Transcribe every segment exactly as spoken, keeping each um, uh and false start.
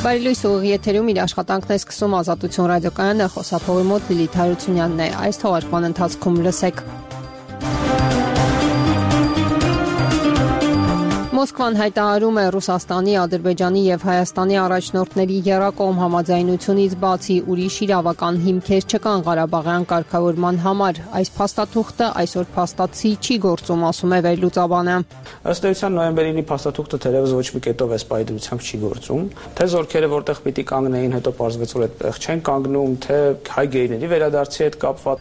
Բարելույս ուղիղ եթերում իր աշխատանքն է սկսում Ազատություն ռադիոկայանը, խոսափողի մոտ Լիլիթ Հարությունյանն է։ Այս թողարկման ընթացքում լսեք. Մոսկվան հայտարարում է Ռուսաստանի, Ադրբեջանի եւ Հայաստանի առաջնորդների եռակողմ համաձայնությունից բացի ուրիշ իրավական հիմքեր չկան Ղարաբաղյան կարգավորման համար։ Այս փաստաթուղթը այսօր փաստացի չի գործում, ասում է վերլուծաբանը։ Ըստ էության նոյեմբերի փաստաթուղթը թերևս ոչ մի կետով էս պայդրությամբ չի գործում։ Թե զորքերը որտեղ պիտի կանգնեին, հետո պարզվեց, որ այդտեղ չեն կանգնում, թե հայ գերիների վերադարձի հետ կապված։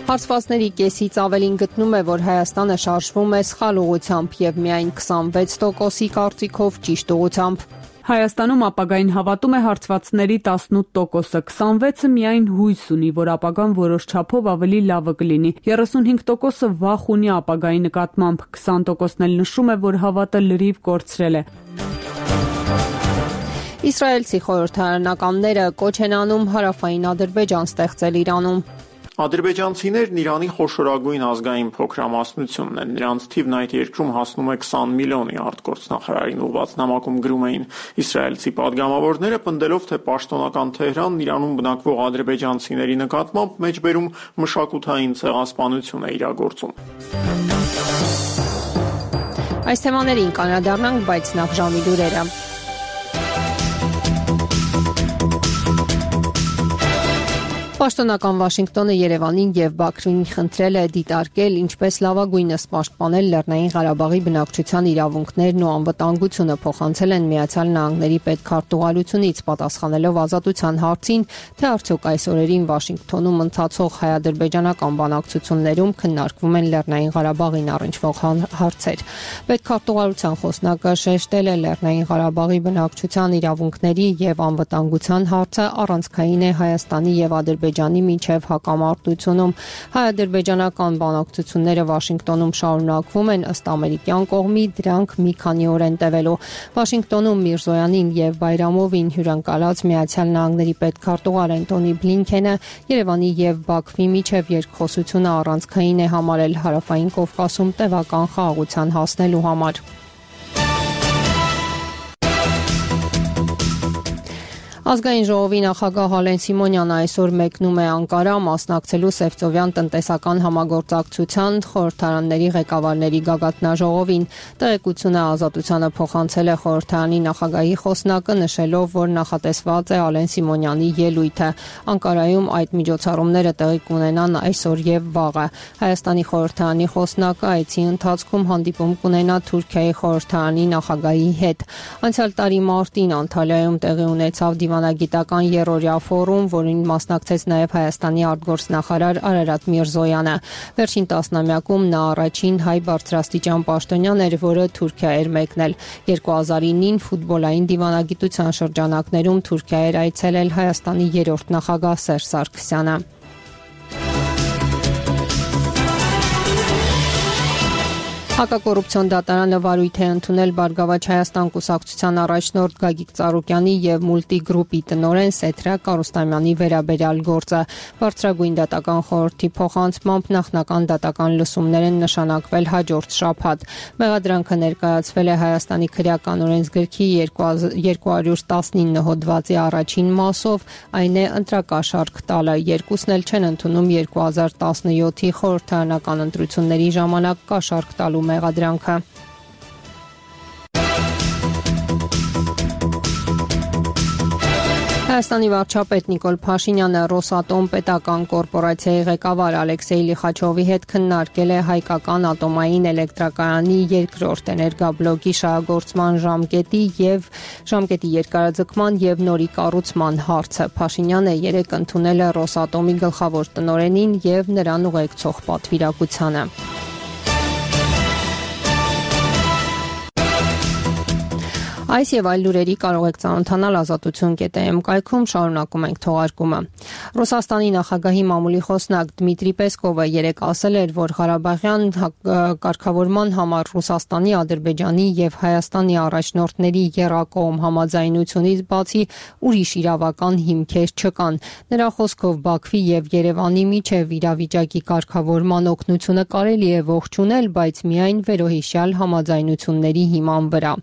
Հարցվածների կեսից ավելին գտնում է, որ Հայաստանը շարժվում է սխալ ուղղությամբ եւ միայն քսանվեց տոկոսի կարծիքով ճիշտ ուղղությամբ։ Հայաստանում ապագային հավատում է հարցվածների տասնութ տոկոսը, քսանվեցը միայն հույս ունի, որ ապագան որոշ չափով ավելի լավը կլինի։ երեսունհինգ տոկոսը վախ ունի ապագայի նկատմամբ, քսան տոկոսն էլ նշում է, որ հավատը լրիվ կորցրել է։ Իսրայելցի խորհրդարանականները կոչ են անում հարավային Ադրբեջան ստեղծել Իրանում։ Ադրբեջանցիներն Իրանի խոշորագույն ազգային փոքրամասնությունն են, նրանց թիվն այդ երկրում հասնում է քսան միլիոնի, արտգործնախարարին ուղղված նամակում գրում էին։ Իսրայելցի պատգամավորները պնդելով, թե պաշտոնական Թեհրանն Իրանում բնակվող ադրբեջանցիների նկատմամբ մեջբերում մշակութային ցեղասպանություն է իրագործում։ Այս թեմաներին կանրադառնանք, բայց նախ ժամի լուրերը։ Պաշտոնական Վաշինգտոնը Երևանին եւ Բաքվին խնդրել է դիտարկել ինչպես լավագույնս պաշտպանել Լեռնային Ղարաբաղի բնակչության իրավունքներն ու անվտանգությունը, փոխանցել են Միացյալ Նահանգների պետքարտուղարությունից, պատասխանելով Ազատության հարցին, թե արդյոք այս օրերին Վաշինգտոնում ընթացող հայ-ադրբեջանական բանակցություններում քննարկվում են Լեռնային Ղարաբաղին առնչվող հարցեր։ Պետքարտուղարության խոսնակը շեշտել է Լեռնային Ղարաբաղի բնակչության իրավունքների եւ անվտանգության հարցը առանցքային է Հայաստանի եւ Ադրբեջանի միջև հակամարտությունում։ Հայ-ադրբեջանական բանակցությունները Վաշինգտոնում շարունակվում են, ըստ ամերիկյան կողմի դրանք մի քանի օր են տևելու։ Վաշինգտոնում Միրզոյանին եւ Բայրամովին հյուրընկալած Միացյալ Նահանգների պետքարտուղար Անտոնի Բլինքենը Երևանի եւ Բաքվի միջև երկխոսությունը առանցքային է համարել Հարավային Կովկասում տևական խաղաղության հասնելու համար։ Ազգային ժողովի նախագահ Հալեն Սիմոնյանը այսօր մեկնում է Անկարա մասնակցելու Սևծովյան տնտեսական համագործակցության խորհրդարանների ղեկավարների գագաթնաժողովին։ Տեղեկությունը Ազատությանը փոխանցել է խորհրդարանի նախագահի խոսնակը, նշելով, որ նախատեսված է Հալեն Սիմոնյանի ելույթը։ Անկարայում այդ միջոցառումները տեղի կունենան այսօր եւ վաղը։ Հայաստանի խորհրդարանի խոսնակը այցի ընթացքում հանդիպում կունենա Թուրքիայի խորհրդարանի նախագահի հետ։ Անցյալ տարի մարտին Անտալիայում տեղի ունեցավ Դիվանագիտական երրորդյա ֆորում, որին մասնակցեց նաև Հայաստանի արտգործնախարար Արարատ Միրզոյանը։ Վերջին տասնամյակում նա առաջին հայ բարձրաստիճան պաշտոնյան էր, որը Թուրքիա էր մեկնել։ երկու հազար ինին ֆուտբոլային դիվանագիտության շրջանակներում Թուրքիա էր այցելել Հայաստանի երրորդ նախագահ Սերժ Սարգսյանը։ Հակակոռուպցիոն դատարանը վարույթ է ընդունել Բարգավաճ Հայաստան կուսակցության առաջնորդ Գագիկ Ծառուկյանի եւ Մուլտիգրուպի տնօրեն Սեթրակ Արուստամյանի վերաբերյալ գործը։ Բարձրագույն դատական խորհրդի փոխանցմամբ նախնական դատական լսումներ են նշանակվել հաջորդ շաբաթ։ Մեղադրանքը ներկայացվել է Հայաստանի քրեական օրենսգրքի երկու հարյուր տասնինը հոդվածի առաջին մասով, այն է ընտրակաշառք տալը։ Երկուսն էլ չեն ընդունում երկու հազար տասնյոթի խորհրդարանական ընտրությունների ժամանակ կաշառք տալու մեղադրանքը։ Հայաստանի վարչապետ Նիկոլ Փաշինյանը Ռոսատոմ պետական կորպորացիայի ղեկավար Ալեքսեյ Լիխաչովի հետ քննարկել է հայկական ատոմային էլեկտրակայանի երկրորդ էներգաբլոկի շահագործման ժամկետի եւ ժամկետի երկարաձգման եւ նորի կառուցման հարցը։ Փաշինյանը երեկ ընդունել է Ռոսատոմի գլխավոր տնօրենին եւ նրան ուղեկցող պատվիրակությանը։ Այս եւ այլ լուրերի կարող եք ծանոթանալ ազատություն կետ է էմ կայքում, շարունակում ենք թողարկումը։ Ռուսաստանի նախագահի մամուլի խոսնակ Դմիտրի Պեսկովը երեկ ասել էր, որ Ղարաբաղյան կարգավորման համար Ռուսաստանի, Ադրբեջանի եւ Հայաստանի առաջնորդների եռակողմ համաձայնությունից բացի ուրիշ իրավական հիմքեր չկան։ Նրա խոսքով Բաքվի եւ Երևանի միջև իրավիճակի կարգավորման օգնությունը կարելի է ողջունել, բայց միայն վերոհիշյալ համաձայնությունների հիման վրա։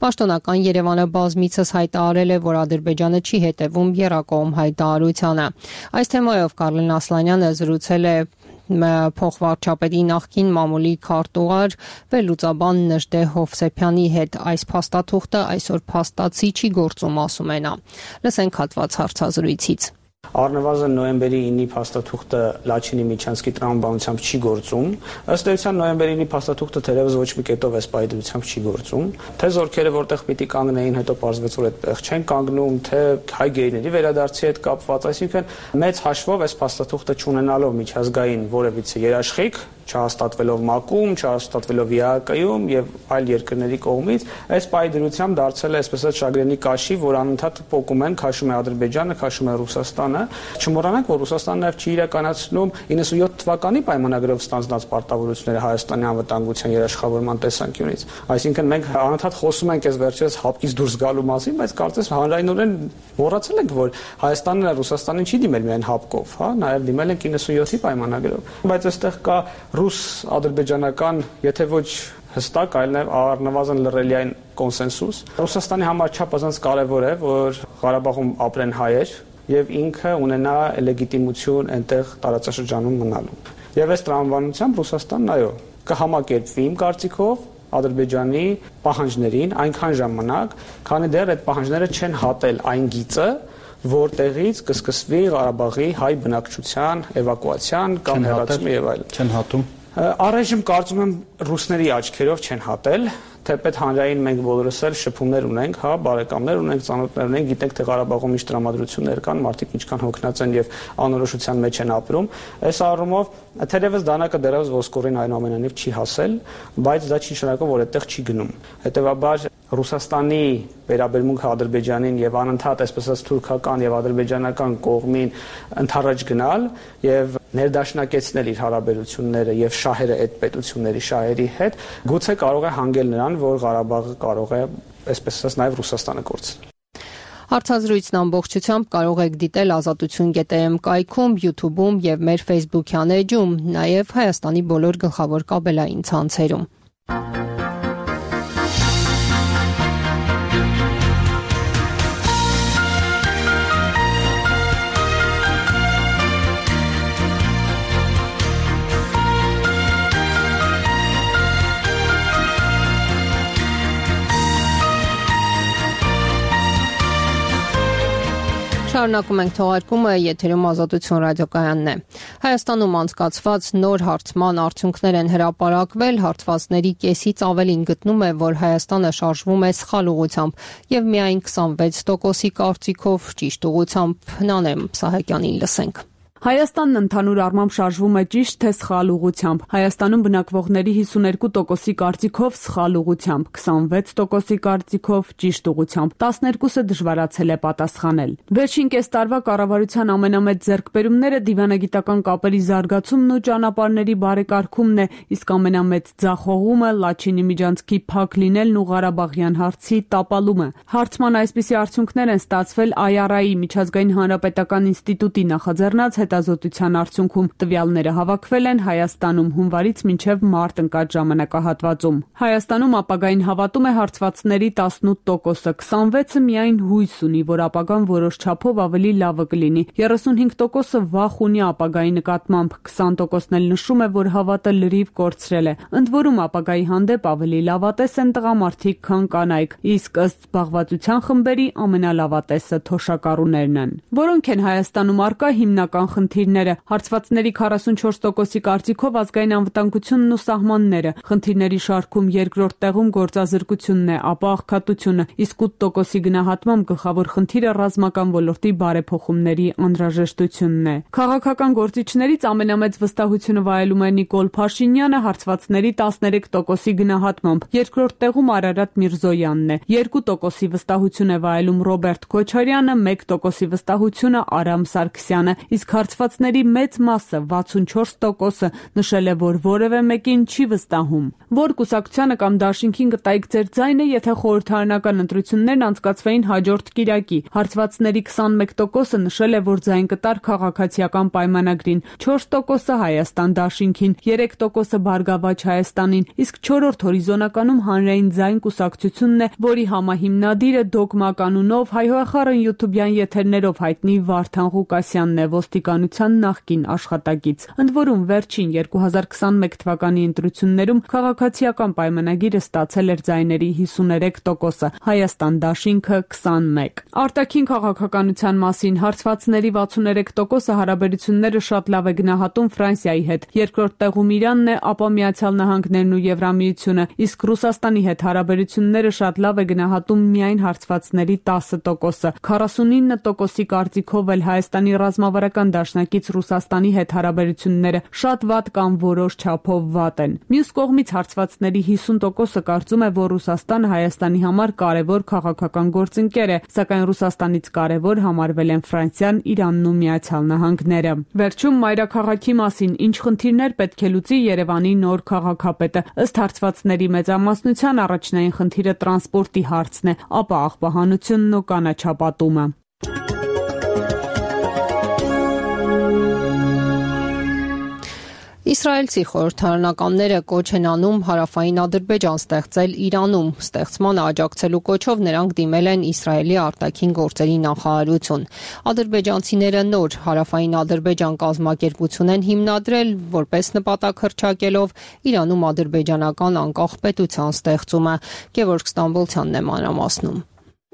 Պաշտոնական Երևանը բազմիցս հայտարարել է, որ Ադրբեջանը չի հետևում եռակողմ հայտարարությանը։ Այս թեմայով Կարլեն Ասլանյանը զրուցել է փոխվարչապետի նախկին մամուլի քարտուղար վերլուծաբան Նժդե Հովսեփյանի հետ։ Այս փաստաթուղթը այսօր փաստացի չի գործում, ասում է նա։ Լսենք հատված հարցազրույցից։ Առնվազն նոյեմբերի ինի փաստաթուղթը Լաչինի Միչանսկի տրամաբանությամբ չի գործում։ Ըստ էության նոյեմբերի ինի փաստաթուղթը թերևս ոչ մի կետով էս պայդրությամբ չի գործում։ Թե զորքերը որտեղ պիտի կանգնեին, հետո պարզվեց, որ այդտեղ չեն կանգնում, թե հայ գերիների վերադարձի հետ կապված, այսինքն մեծ հաշվով էս փաստաթուղթը չունենալով միջազգային որևիցե երաշխիք, չհաստատվելով ՄԱԿ-ում, չհաստատվելով ԵԱԿ-ում եւ այլ երկրների կողմից, այս պայդրությամբ դարձել է այսպես ասած շագրենի կաշի, որ անընդհատ փոկում են, քաշում է Ադրբեջանը, քաշում է Ռուսաստանը։ Չմոռանանք, որ Ռուսաստանն նաև չի իրականացնում իննսունյոթ թվականի պայմանագրով ստանձնած պարտավորությունները Հայաստանի անվտանգության երաշխավորման տեսանկյունից։ Այսինքն մենք անընդհատ խոսում ենք այս վերջերս հապկից դուրս գալու մասին, բայց կարծես հանրայնորեն մոռացել ենք, որ Հայաստանն Ռուսաստանին չի դիմել միայն հապկով, հա, նաև դիմել են իննսունյոթի պայմանագրով։ Բայց այստեղ կա ռուս-ադրբեջանական, եթե ոչ հստակ, այլ նաև առնվազն լռելիային կոնսենսուս։ Ռուսաստանի համար չափազանց կարևոր է, որ Ղարաբաղում ապրեն հայեր եւ ինքը ունենա լեգիտիմություն այնտեղ տարածաշրջանում մնալու։ Եվ այս տրամաբանությամբ Ռուսաստանն այո, կհամակերպվի իմ կարծիքով Ադրբեջանի պահանջներին այնքան ժամանակ, քանի դեռ այդ պահանջները չեն հատել այն գիծը, որտեղից կսկսվի Ղարաբաղի հայ բնակչության էվակուացիան կամ հեռացումը եւ այլն։ Չեն հատում։ Առայժմ կարծում եմ ռուսների աչքերով չեն հատել, թեպետ հանրային մենք բոլորս էլ շփումներ ունենք, հա, բարեկամներ ունենք, ծանոթներ ունենք, գիտենք թե Ղարաբաղում ինչ տրամադրություններ կան, մարդիկ ինչքան հոգնած են եւ անորոշության մեջ են ապրում։ Այս առումով թերևս դանակը դեռևս ոսկորին այնուամենայնիվ չի հասել, բայց դա չի նշանակում, որ այդտեղ չի գնում։ Հետեւաբար Ռուսաստանի վերաբերմունքը Ադրբեջանին եւ անընդհատ այսպես ասած թուրքական եւ ադրբեջանական կողմին ընդառաջ գնալ եւ ներդաշնակեցնել իր հարաբերությունները եւ շահերը այդ պետությունների շահերի հետ, գուցե կարող է հանգել նրան, որ Ղարաբաղը կարող է այսպես ասած նաեւ Ռուսաստանը կորցնել։ Հարցազրույցն ամբողջությամբ կարող եք դիտել ազատություն կետ է էմ կայքում, YouTube-ում եւ մեր Facebook-յան էջում, նաեւ Հայաստանի բոլոր գլխավոր կաբելային ցանցերում։ Շարունակում ենք թողարկումը, եթերում Ազատություն ռադիոկայանն է։ Հայաստանում անցկացված նոր հարցման արդյունքներ են հրապարակվել, հարցվածների կեսից ավելին գտնում է, որ Հայաստանը շարժվում է սխալ ուղղությամբ եւ միայն քսանվեց տոկոսի կարծիքով ճիշտ ուղղությամբ։ Նանեմ Սահակյանին լսենք։ Հայաստանն ընդհանուր առմամբ շարժվում է ճիշտ թե սխալ ուղղությամբ։ Հայաստանում բնակվողների հիսուներկու տոկոսի կարծիքով սխալ ուղղությամբ, քսանվեց տոկոսի կարծիքով ճիշտ ուղղությամբ, տասներկուսը դժվարացել է պատասխանել։ Վերջին կես տարվա կառավարության ամենամեծ ձեռքբերումները դիվանագիտական կապերի զարգացումն ու ճանապարհների բարեկարգումն է, իսկ ամենամեծ ձախողումը Լաչինի Միջանցքի փակ լինելն ու Ղարաբաղյան հարցի տապալումը։ Հարցման այսպիսի արդյունքներ են ստացվել Այ Առ Այ-ի միջազգային հանրապետական ինստիտուտի նախաձեռնած հետազոտության արդյունքում տվյալները հավաքվել են Հայաստանում հունվարից մինչև մարտ ընկած ժամանակահատվածում։ Հայաստանում ապագային հավատում է հարցվածների տասնութ տոկոսը, քսանվեցը միայն հույս ունի, որ ապագան որոշ չափով ավելի լավը կլինի, երեսունհինգ տոկոսը վախ ունի ապագայի նկատմամբ, քսան տոկոսն էլ նշում է, որ հավատը լրիվ կորցրել է։ Ընդ որում ապագայի հանդեպ ավելի լավատես են տղամարդիկ, քան կանայք, իսկ ըստ զբաղվածության խմբերի ամենալավատեսը թոշակառուներն են, որոնք են Հայաստանում առկա հիմնական խնդիրները, հարցվածների քառասունչորս տոկոսի կարծիքով ազգային անվտանգությունն ու սահմանները, խնդիրների շարքում երկրորդ տեղում գործազրկությունն է, ապա աղքատությունը, իսկ ութ տոկոսի գնահատմամբ գլխավոր խնդիրը ռազմական ոլորտի բարեփոխումների անհրաժեշտությունն է։ Քաղաքական գործիչներից ամենամեծ վստահությունը վայելում է Նիկոլ Փաշինյանը հարցվածների տասներեք տոկոսի գնահատմամբ, երկրորդ տեղում Արարատ Միրզոյանն է, երկու տոկոսի վստահություն է վայելում Ռոբերտ Քոչարյանը, մեկ տոկոսի վստահությունը Արամ Սարգսյանը, իսկ հարցվածների մեծ մասը վաթսունչորս տոկոսը նշել է, որ որևէ մեկին չի վստահում։ Որ կուսակցությանը կամ դաշինքին կտայիք ձեր ձայնը, եթե խորհրդարանական ընտրություններն անցկացվեին հաջորդ կիրակի։ Հարցվածների քսանմեկ տոկոսը նշել է, որ ձայն կտար քաղաքացիական պայմանագրին, չորս տոկոսը Հայաստան դաշինքին, երեք տոկոսը Բարգավաճ Հայաստանին, իսկ չորրորդ հորիզոնականում հանրային ձայն կուսակցությունն է, որի համահիմնադիրը Դոգմա կանունով հայհոախառն յութուբյան եթերներով հայտնի Վարդան Ղուկասյանն է, ոստիկանության նախկին աշխատակից։ Ընդ որում վերջին երկու հազար քսանմեկ թվականի ընտրություններում քաղաքացիական պայմանագիրը ստացել էր ձայների հիսուներեք տոկոսը, Հայաստան դաշինքը քսանմեկ։ Արտաքին քաղաքականության մասին հարցվածների վաթսուներեք տոկոսը հարաբերությունները շատ լավ է գնահատում Ֆրանսիայի հետ, երկրորդ տեղում Իրանն է, ապա Միացյալ Նահանգներն ու Եվրամիությունը, իսկ Ռուսաստանի հետ հարաբերությունները շատ լավ է գնահատում միայն հարցվածների տասը տոկոսը, քառասունինը տոկոսի կարծիքով էլ Հայաստանի ռազմավարական դաշնակից Ռուսաստանի հետ հարաբերությունները շատ վատ կամ որոշ չափով վատ են։ Մյուս կողմից հարցվածների հիսուն տոկոսը կարծում է, որ Ռուսաստանը Հայաստանի համար կարևոր քաղաքական գործընկեր է, սակայն Ռուսաստանից կարևոր համարվել են Ֆրանսիան, Իրանն ու Միացյալ Նահանգները։ Վերջում մայրաքաղաքի մասին ինչ խնդիրներ պետք է լուծի Երևանի նոր քաղաքապետը։ Ըստ հարցվածների մեծամասնության առաջնային խնդիրը տրանսպորտի հարցն է, ապա աղբահանությունն ու կանաչապատումը։ Իսրայելցի խորհրդարանականները կոչ են անում հարավային Ադրբեջան ստեղծել Իրանում։ Ստեղծմանը աջակցելու կոչով նրանք դիմել են Իսրայելի արտաքին գործերի նախարարություն։ Ադրբեջանցիները նոր հարավային Ադրբեջան կազմակերպություն են հիմնադրել, որպես նպատակ հռչակելով Իրանում ադրբեջանական անկախ պետության ստեղծումը։ Գևորգ Ստամբոլցյանն է մանրամասնում։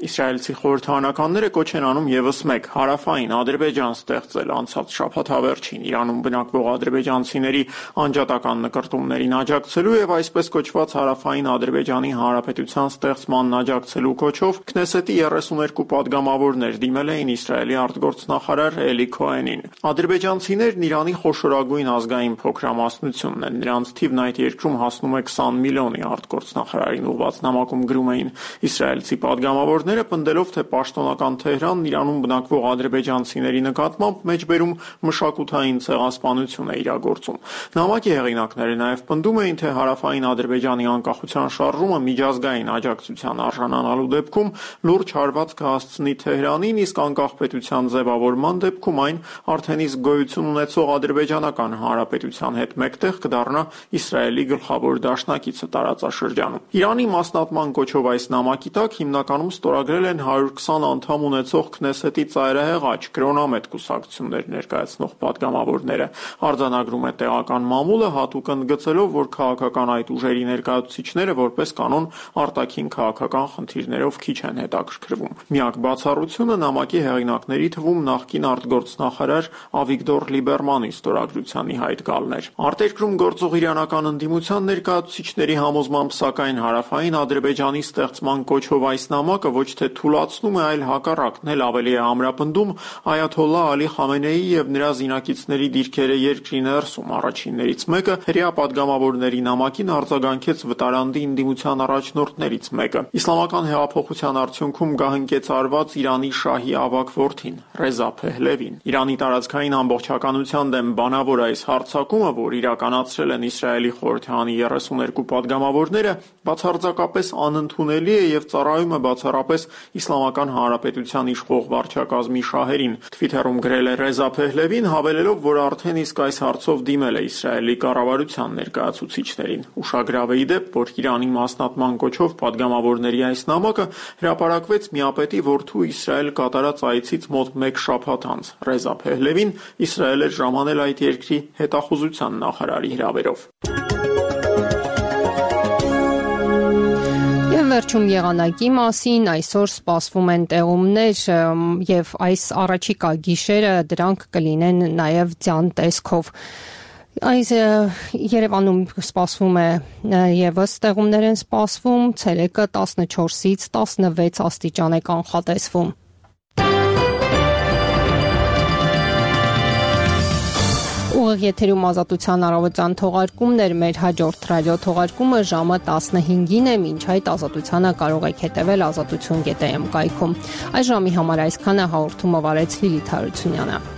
Իսրայելցի խորհրդարանականները կոչ են անում եւս մեկ հարավային Ադրբեջան ստեղծել անցած շաբաթավերջին Իրանում բնակվող ադրբեջանցիների անջատական նկրտումներին աջակցելու եւ այսպես կոչված հարավային Ադրբեջանի հանրապետության ստեղծմանն աջակցելու կոչով Քնեսետի երեսուներկու падգամավորներ դիմել էին Իսրայելի արտգործնախարար Էլի Քոենին։ Ադրբեջանցիներն Իրանի խոշորագույն ազգային փոքրամասնությունն են, նրանց թիվն այդ երկրում հասնում է քսան միլիոնի, արտգործնախարարին ուղղված նամակում գրում էին իսրայելցի падգամավոր պնդելով, թե պաշտոնական Թեհրանն Իրանում բնակվող ադրբեջանցիների նկատմամբ մեջբերում մշակութային ցեղասպանություն է իրագործում։ Նամակի հեղինակները նաև պնդում էին, թե հարավային Ադրբեջանի անկախության շարժումը միջազգային աջակցության արժանանալու դեպքում լուրջ հարված կհասցնի Թեհրանին, իսկ անկախ պետության ձևավորման դեպքում այն արդեն իսկ գոյություն ունեցող ադրբեջանական հանրապետության հետ մեկտեղ կդառնա Իսրայելի գլխավոր դաշնակիցը տարածաշրջանում։ Իրանի մասնատման կոչով այս նամակի տակ հիմնականում ստորագրել են հարյուր քսան անդամ ունեցող Քնեսետի ծայրահեղաչ կրոնամետ կուսակցություններ ներկայացնող падգամավորները։ Արձանագրում է տեղական մամուլը, հատուկ ընդգծելով, որ քաղաքական այդ ուժերի ներկայացուցիչները որպես կանոն արտաքին քաղաքական խնդիրներով քիչ են հետաքրքրվում։ Միակ բացառությունը նամակի հեղինակների թվում նախկին արտգործնախարար Ավիգդոր Լիբերմանի ստորագրության ի հայտ գալն էր։ Արտերկրում գործող իրանական ընդդիմության ներկայացուցիչների համոզմամբ, սակայն հարավային Ադրբեջանի ստեղծման կոչով այս նամակը ոչ թե թուլացնում է, այլ հակառակն էլ ավելի է ամրապնդում Այաթոլլահ Ալի Խամենեիի եւ նրա զինակիցների դիրքերը երկրի ներսում։ Առաջիններից մեկը հրեա падգամավորների նամակին արձագանքեց վտարանդի ընդդիմության առաջնորդներից մեկը։ Իսլամական հեղափոխության արդյունքում գահընկեց արված Իրանի շահի ավագ որդին Ռեզա Փեհլևին։ Իրանի տարածքային ամբողջականության դեմ բանավոր այս հարձակումը, որ իրականացրել են Իսրայելի խորհրդարանի երեսուներկու падգամավորները, բացարձակապես անընդունելի է եւ ծառայում է բացառապես Իսլամական Հանրապետության իշխող վարչակազմի շահերին։ Թվիթերում գրել է Ռեզա Փեհլևին, հավելելով, որ արդեն իսկ այս հարցով դիմել է Իսրայելի կառավարության ներկայացուցիչներին։ Ուշագրավ է ի դեպ, որ Իրանի մասնատման կոչով падգամավորների այս նամակը հրապարակվեց միապետի որդու Իսրայել կատարած այցից մոտ մեկ շաբաթ անց։ Ռեզա Փեհլևին Իսրայել էր ժամանել այդ երկրի հետախուզության նախարարի հրավերով։ Վերջում եղանակի մասին այսօր սպասվում են տեղումներ եւ այս առաջիկա գիշերը դրանք կլինեն նաեւ ձյան տեսքով։ Այս Երևանում սպասվում է եւս տեղումներ են սպասվում, ցերեկը տասնչորսից տասնվեց աստիճան է կանխատեսվում։ Ուղիղ եթերում Ազատության առավոտյան թողարկումներ, մեր հաջորդ ռադիո թողարկումը ժամը տասնհինգին է, մինչ այդ Ազատությանը կարող եք հետևել ազատություն կետ էմ կայքում։ Այս ժամի համար այսքանը, հաղորդումը վարեց Լիլիթ Հարությունյանը։